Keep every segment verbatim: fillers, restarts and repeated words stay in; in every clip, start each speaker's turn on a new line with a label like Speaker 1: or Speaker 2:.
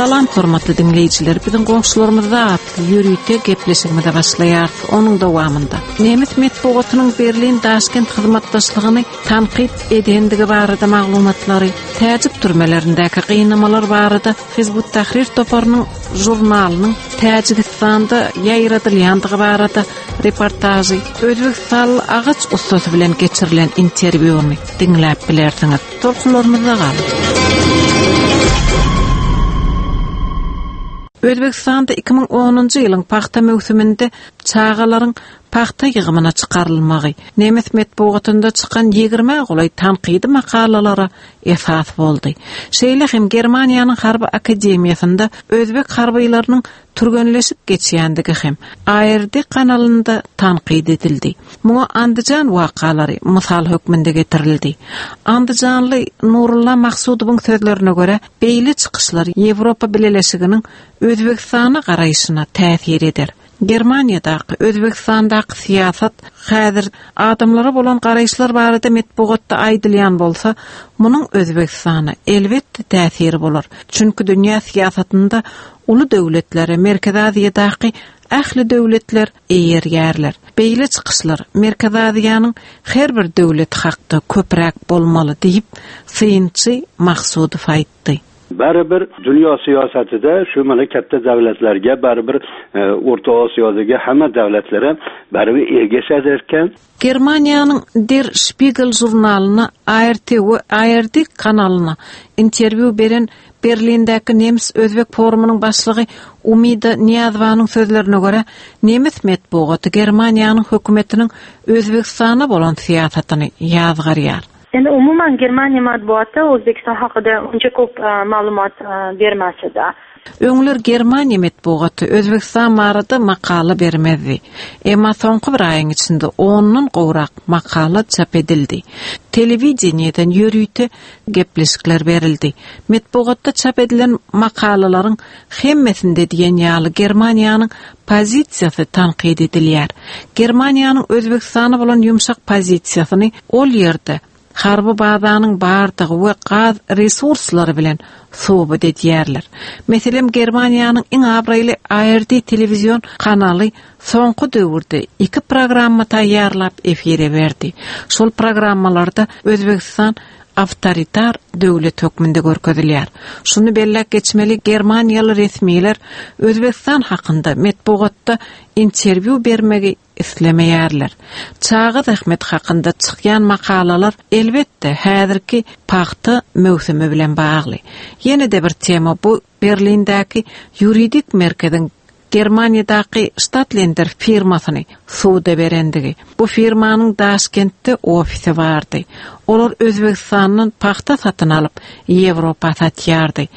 Speaker 1: Salam hormatly diňleýjiler, biziň goňşularymyzda atly ýörite gepleşigimize başlaýarys. Onuň dowamynda nemes metbugatynyň Berlin Daşkent hyzmatdaşlygyny tankyt edendigi barada maglumatlary, täjik türmelerindäki gynamalar barada Hizbut Tahrir toparynyň žurnalynyň Täjigistanda ýaýradylýandygy barada reportažy, Özbegistanly agaç ussasy bilen geçirilen interwýuny diňläp bilersiňiz. Tolkunlarymyzda galyň. Özbegistanda iki müň onunjy ýylyň pagta möwsüminde çagalaryň pagta ýygymyna çykarylmagy nemes metbugatynda çykan ýigirmä golaý tankydy makalalara esas boldy. Şeýle hem Germaniýanyň Harby Akademiýasynda özbek harbylarynyň türgenleşip geçýändigi hem A R D kanalynda tankyt edildi. Muňa Andijan wakalary mysal hökmünde getirildi. Andijanly Nurulla Maksudowyň sözlerine görä, beýle çykyşlar Ýewropa Bileleşiginiň Özbegistana garaýşyna täsir eder. Germaniýadaky, Özbegistandaky syýasat häzir adamlara bolan garaýyşlar barada metbugatda aýdylýan bolsa, munuň Özbegistana elbetde täsiri bolar. Çünki dünýä syýasatynda uly döwletlere Merkezi Aziýadaky ähli döwletler eýerýärler. Beýle çykyşlar Merkezi Aziýanyň her bir döwleti hakda köpräk bolmaly diýip, synçy Maksudow aýtdy.
Speaker 2: Baribir dunyo siyosatida shu mana katta davlatlarga, baribir, e, O'rta Osiyodagi hamma davlatlara baribir ergashar ekan.
Speaker 1: Germaniýanyň Der Spiegel žurnalyna A R T we A R D kanalyna interwýu beren Berlindäki Nemes Özbek forumynyň başlygy Umida Niýazowanyň sözlerine görä, nemes metbugaty Germaniýanyň hökümetiniň Özbegistana bolan syýasatyny ýazgarýar.
Speaker 3: Endi umuman Germaniya matbuoti O'zbekiston haqida uncha ko'p, e, ma'lumot, e, bermas edi.
Speaker 1: Öňler Germaniya metbugaty Özbegistan barada makala bermezdi. Emma soňky bir aýyň içinde ondan gowrak makala çap edildi. Telewideniýeden ýörite gepleşikler berildi. Metbugatda çap edilen makalalaryň hemmesinde diýen ýaly Germaniýanyň pozisiýasy tankyt edilýär. Germaniýanyň Özbegistana bolan ýumşak pozisiýasyny ol ýerde harby bazanyň bardygy we gaz resurslary bilen subut edýärler. Meselem, Germaniýanyň iň abraýly A R D telewizion kanaly soňky döwürde iki programma taýýarlap efire berdi. Şol programmalarda Özbegistan awtoritar döwlet hökmünde görkezilýär. Şuny belläp geçmeli, Germaniýaly resmiler Özbegistan hakynda metbugatda interwýu bermegi islemeýärler. Çaga zähmet hakynda çykýan makalalar elbetde häzirki pagta möwsümi bilen bagly. Ýene-de bir tema bu Berlindäki ýuridik merkeziň Germaniýadaky Stadtländer firmasyny suda berendigi. Bu firmanyň Daşkentde ofisi bardy. Olar Özbegistandan pagta satyn alyp Ýewropa satýardy.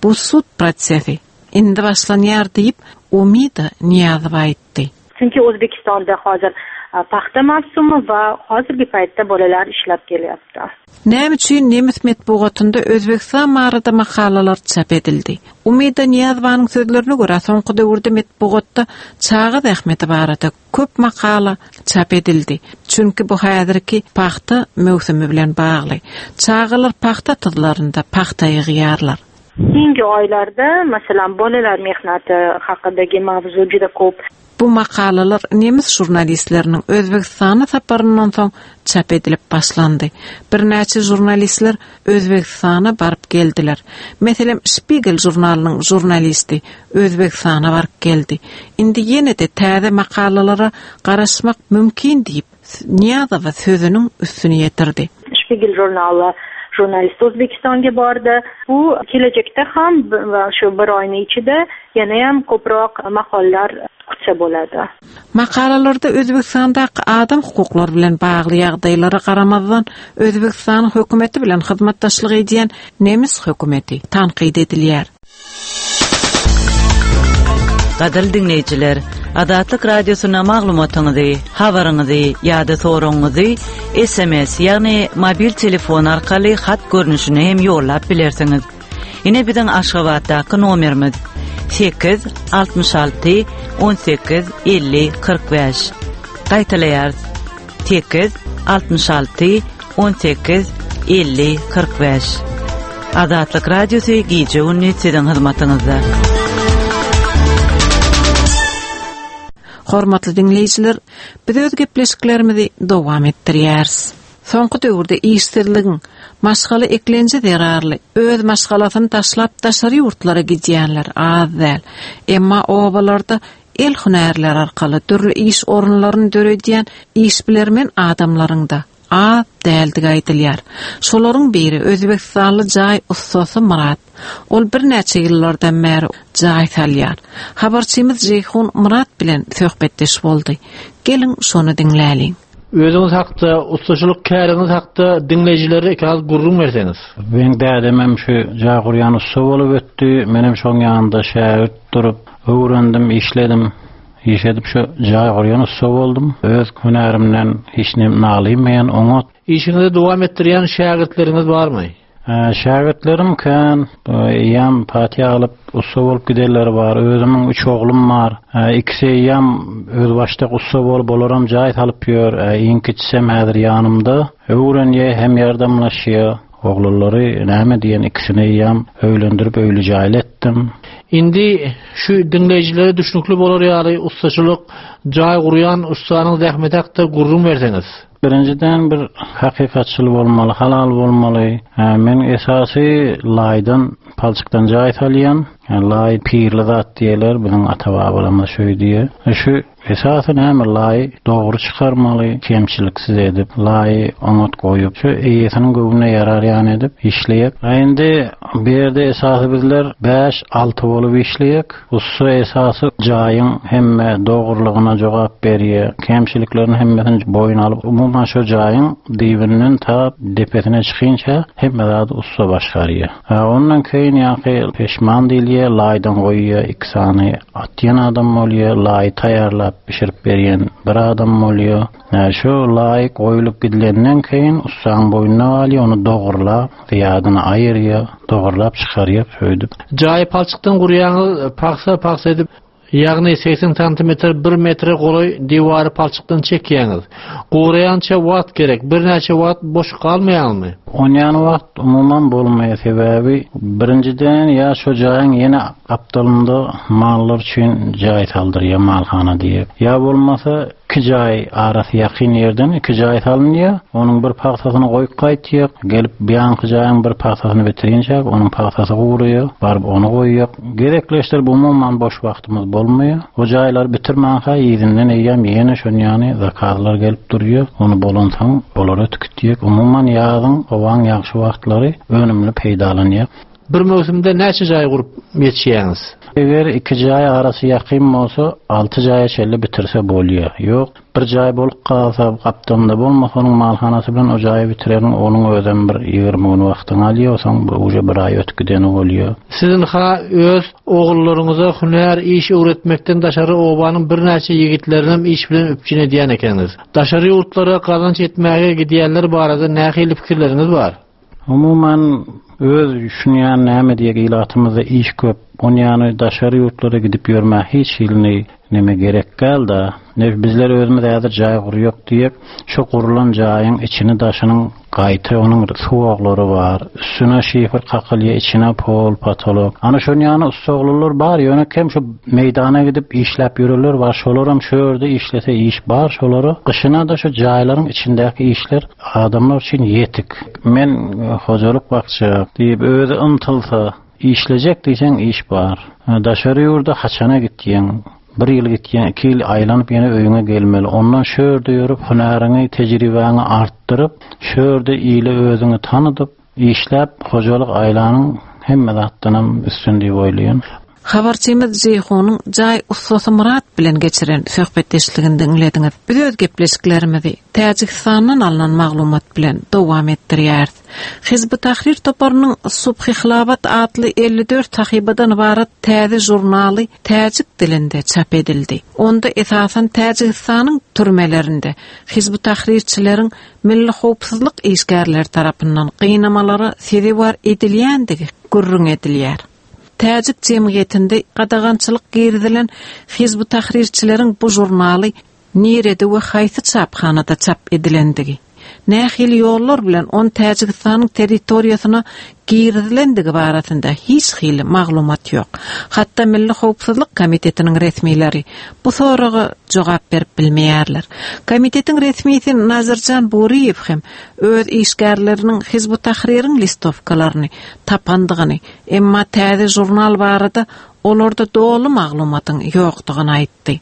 Speaker 1: Bu sud prosesi indi başlanýar diýip Umida Niýazowa aýtdy.
Speaker 3: Chunki O'zbekistonda hozir, a, paxta mavsumi va hozirgi paytda bolalar ishlab kelyapti.
Speaker 1: Näme üçin nemes metbugatynda Özbegistan barada makalalar çap edildi? Umida Niýazowanyň sözlerine görä, soňky döwürde metbugatda çaga zähmeti barada köp makala çap edildi. Çünki bu häzirki paxta möwsümi bilen bagly. Çagalar paxta tyzlarynda paxta ýygýarlar.
Speaker 3: Keyingi oylarda, masalan, bolalar mehnati haqidagi mavzu juda ko'p.
Speaker 1: Bu makalalar nemes jurnalistleriniň Özbegistana saparyndan soň çap edilip başlandy. Birnäçe jurnalistler Özbegistana baryp geldiler. Meselem, Spiegel jurnalynyň jurnalisti Özbegistana baryp geldi. Indi ýene-de täze makalalara garaşmak mümkin diýip Niýazowa sözüniň üstüni ýetirdi.
Speaker 3: Spiegel jurnaly jurnalist O'zbekistonga bordi. Bu kelajakda ham va shu bir oyning ichida yana ham ko'proq maqolalar kutsa bo'ladi.
Speaker 1: Makalalarda Özbegistandaky adam hukuklary bilen bagly ýagdaýlara garamazdan Özbegistan hökümeti bilen hyzmatdaşlyk edýän nemes hökümeti tankyt edilýär.
Speaker 4: Gadyrly dinleýjiler, Azatlyk Radiosyna maglumatyňyzy, habaryňyzy ýa-da soragyňyzy S M S, ýagny mobil telefon arkaly hat görnüşine hem ýollap bilersiňiz. Ine biziň Aşgabatdaky nomerimiz sekiz altmyş alty on sekiz elli kyrk bäş. Gaýtalaýarys. Sekiz altmyş alty on sekiz elli kyrk bäş. Azatlyk Radiosy gije gündüz siziň hyzmatyňyzda.
Speaker 1: Hormatly dinleýjiler, biz öz gepleşiklerimizi dowam etdirýäris. Soňky döwürde işsizligiň, maşgala eklenji zerarly öz maşgalasyny taşlap daşary ýurtlara gidýänler az däl. Emma obalarda el hünärler arkaly dürli iş orunlaryny döredýän işbilermen adamlaryň da az däldigi aýdylýar. Şolaryň biri Özbekistanly jaý ussasy Murat. Ol birnäçe ýyllardan bäri jaý salýar. Habarçymyz Jeýhun Murat bilen söhbetdeş boldy. Geliň şonu diňläliň.
Speaker 5: Özüňiz hakda, ustaçylyk käriňiz hakda diňleýjilere ikaz gürrüň berseňiz.
Speaker 6: Men dädemem şu jaý gurýan ussa bolup ötdi. Menem şoň ýanynda şägirt durup öwrendim, işledim. Iş edip şu jaý gurýan ussa boldum. Öz hünärimden hiç nem nalymmaýan oňat.
Speaker 5: Işiňizi dowam etdirýän şägirtleriňiz barmy?
Speaker 6: Şägirtlerim kän, eýýäm patiýa alyp ussa bolup gidenleri bar. Özümiň üç oglum bar. Ikisi eýýäm özbaşdak ussa bolup, olaram jaý salyp ýör. Iň kiçisem häzir ýanymda. Öwrenýär, hem ýardamlaşýar. Oglulary näme diýen ikisini eýýäm öýlendirip öýli jaýly etdim.
Speaker 5: Indi şu diňleýjilere düşnükli bolar ýaly ustaçylyk, jaý gurýan ussanyň zähmeti hakda gürrüň berseňiz.
Speaker 6: Birinciden bir hakykatçyl bolmaly, halal bolmaly. Men esasy laýdan, palçykdan jaý salýan. Laý pirli zat diýerler, biziň ata-babalarymyz şöý diýer. Şu esasy näme laý dogry çykarmaly, kemçiliksiz edip, laýy oňat goýup, şu eýesiniň göwnüne ýarar ýan edip işleýek. Indi bu ýerde esasy bizler bäş alty bolup işleýek. Ussa esasy jaýyň hemme dogrulygyna jogap berýär. Kemçiliklerini hemmesini boýun alyp, umuman şu jaýyň dibinden ta depesine çykynça hemme zady ussa başgarýar. Ondan keyin ýaňky peşman diýilýär, laýdan goýýar, iki sany atýan adam bolýar, laý taýýarlap bişirip berýän bir adam bolýar. Şu laý goýulyp gidilenden keyin ussaň boýnuna galýar, ony dogurlap, zyýadyny aýyrýar, dogurlap çykarýar, şöýdüp.
Speaker 5: Jaýy palçykdan gurýaňyz, paksa-paksa edip, ýagny seksen santimetr bir metre golaý diwary palçykdan çekýäňiz. Guraýança wagt gerek, birnäçe wagt boş galmaýarmy?
Speaker 6: Onýan wagt umuman bolmaýar, sebäbi birinciden ýa şu jaýyň ýene gapdalynda mallar üçin jaý saldyrýar, malhana diýip. Ýa bolmasa iki jaý arasy ýakyn ýerden iki jaý salynýar, onuň bir pagsasyny goýup gaýtýar, gelip biýanky jaýyň bir pagsasyny bitirinçä onuň pagsasy gurýar, baryp ony goýýar. Gezekleşdirip umuman boş wagtymyz bolmaýar. O jaýlar bitirmänkä ýerinden eýýäm ýene şonýany zakazlar gelip durýar. Ony bolansoň olara tüketýär. Umuman ýazyň howaň ýagşy wagtlary önümli peýdalanýar.
Speaker 5: Bir möwsümde näçe jaý gurup ýetişýäňiz?
Speaker 6: Eger iki jaý arasy ýakyn bolsa, alty jaýa çenli bitirse bolýar. Ýok, bir jaý bolup galsa, gapdalynda bolmasa, onuň malhanasy bilen o jaýy bitirerin, onuň özem bir ýigrimi gün wagtyny alýar, soň bu uje bir aý ötüp gideni bolýar.
Speaker 5: Siziň ha öz ogullaryňyza hünär iş öwretmekden daşary obanyň birnäçe ýigitlerini hem iş bilen üpjün edýän ekeniňiz. Daşary ýurtlara gazanç etmäge gidýänler barada nähili pikirleriňiz bar?
Speaker 6: Umuman öz düşünýän näme diýek ilatymyzda iş köp. Onýany daşary ýurtlara gidip ýörmä hiç ýylyny neme gerek galda. Ne bizler özümiz häzir jaý gurýok diýip, şu gurulan jaýyň içini daşynyň gaýta onuň suwaglary bar. Üstüne şifr kakylýar, içine pol, patolog. Ana şonýany ussaglylar bar, ýöne kem şu meýdana gidip işläp ýörürler bar. Şolaram şu ýerde işlese iş bar, şolara gyşyna da şu jaýlaryň içindäki işler adamlar üçin ýetik. Men hojalyk bakça diýip özi ymtylsa, işlejek diýseň iş bar. Daşary ýurda haçana gitýän, bir ýyl gitýän, iki ýyl aýlanyp ýene öýüňe gelmeli. Ondan şu ýerde ýörüp hünäriňi, tejribäňi artdyryp, şu ýerde ile özüňi tanydyp, işläp hojalyk aýlanyň hemme zatdanam üstün diýip oýlaýan.
Speaker 1: Habarçymyz Jeýhunyň jaý ussasy Murat bilen geçiren söhbetdeşligini diňlediňiz. Biz öz gepleşiklerimizi Täjigistandan alnan maglumat bilen dowam etdirýäris. Hizb Tahrir toparynyň Subhi Hilabat atly elli dört sahypadan ibarat täze žurnaly täjik dilinde çap edildi. Onda esasan Täjigistanyň türmelerinde Hizb Tahrirçileriň milli howpsuzlyk işgärleri tarapyndan gynamalara sezewar edilýändigi gürrüň edilýär. Täjik jemgyýetinde gadagançylyk girizilen Hizb Tahrirçileriň bu žurnaly nirede we haýsy çaphanada çap edilendigi, Nähili ýollar bilen on Täjigistanyň territoriýasyna girizilendigi barasynda hiç hili maglumat ýok. Hatda Milli Howpsuzlyk Komitetiniň resmileri bu soraga jogap berip bilmeýärler. Komitetiň resmisi Nazirjan Buriýew hem öz işgärleriniň Hizb ut-Tahririň listowkalaryny tapandygyny, emma täze jurnal barada olarda doly maglumatyň ýokdugyny aýtdy.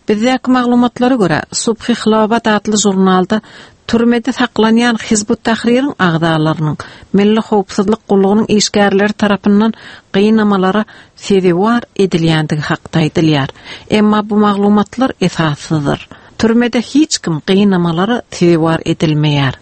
Speaker 1: Bizdäki maglumatlara görä, Subhi Hilobat atly jurnalda türmede saklanýan Hizb ut-Tahririň agzalarynyň Milli Howpsuzlyk gullugynyň işgärleri tarapyndan gynamalara sezewar edilýändigi hakda aýdylýar. Emma bu maglumatlar esassyzdyr. Türmede hiç kim gynamalara sezewar edilmeýär.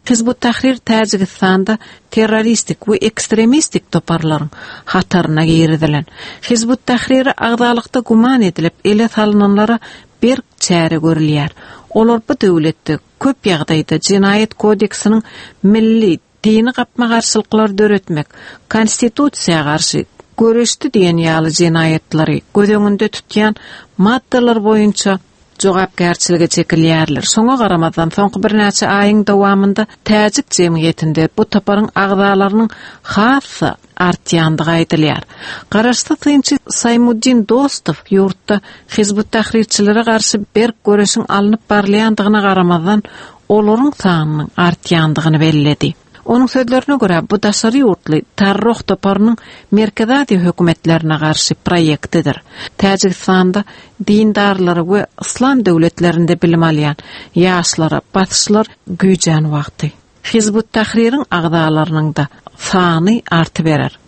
Speaker 1: Hizb ut-Tahrir Täjigistanda terroristik we ekstremistik toparlaryň hataryna girizilen. Hizb ut-Tahrire agzalykda guman edilip ele salynanlara berk çäre görülýär. Olar bu döwletde köp ýagdaýda jenaýat kodeksiniň milli dini gapma-garşylyklary döretmek, konstitusiýa garşy göreşdi diýen ýaly jenaýatlary göz öňünde tutýan maddalar boýunça jogapkärçilige çekilýärler. Şoňa garamazdan soňky birnäçe aýyň dowamynda Täjik jemgyýetinde bu toparyň agzalarynyň hassa artýandygy aýdylýar. Garaşsyz synçy Saýmuddin Dostow ýurtda Hizb ut-Tahrirçilere garşy berk göreşiň alnyp barylýandygyna garamazdan olaryň sanynyň artýandygyny belledi. Onuň sözlerine görä bu daşary ýurtly Tarroh toparynyň Merkezi Aziýa hökümetlerine garşy proýektidir. Täjigistanda dindarlara we yslam döwletlerinde bilim alýan ýaşlara basyşlar güýjän wagty. Hizb ut-Tahririň agzalarynyň da sany arty berer.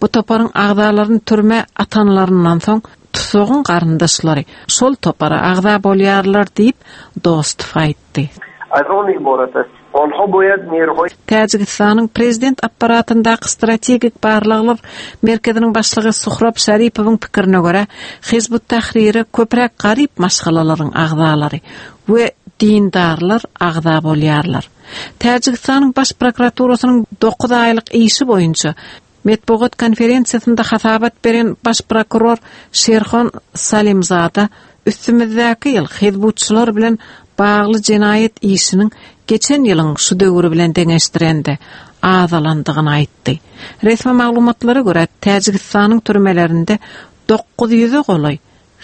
Speaker 1: Bu toparyň agzalaryny türme atanlaryndan soň tutugyň garyndaşlary şol topara agza bolýarlar diýip Dostow aýtdy. Täjigistanyň prezident apparatyndaky strategik barlaglar merkeziniň başlygy Suhrab Şaripowyň pikirine görä, Hizb ut-Tahrire köpräk garyp maşgalalaryň agzalary we dindarlar agza bolýarlar. Täjigistanyň baş prokuraturasynyň dokuz aýlyk işi boýunça Metbugat konferensiýasynda hasabat beren baş prokuror Şerxon Salimzada üstümizdäki ýyl hizbutçylar bilen bagly jenaýat işiniň geçen ýylyň şu döwri bilen deňeşdirende azalandygyny aýtdy. Resmi maglumatlara görä Täjigistanyň türmelerinde dokuz ýüze golaý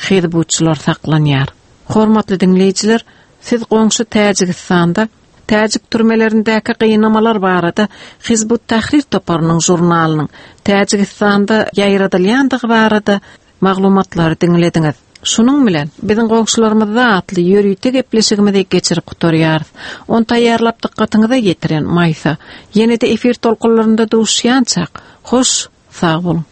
Speaker 1: hizbutçylar saklanýar. Hormatly diňleýjiler, siz goňşy Täjigistanda Täjik türmelerindäki gynamalar barada Hizb ut-Tahrir toparynyň jurnalynyň Täjigistanda ýaýradylýandygy barada maglumatlary diňlediňiz. Şunuň bilen biziň goňşularymyzda atly ýörite gepleşigimizi geçirip gutarýarys. On taýýarlap dykgatyňyza ýetiren Maýsa. Ýene-de efir tolkunlarynda duşýançak. Hoş, sag boluň.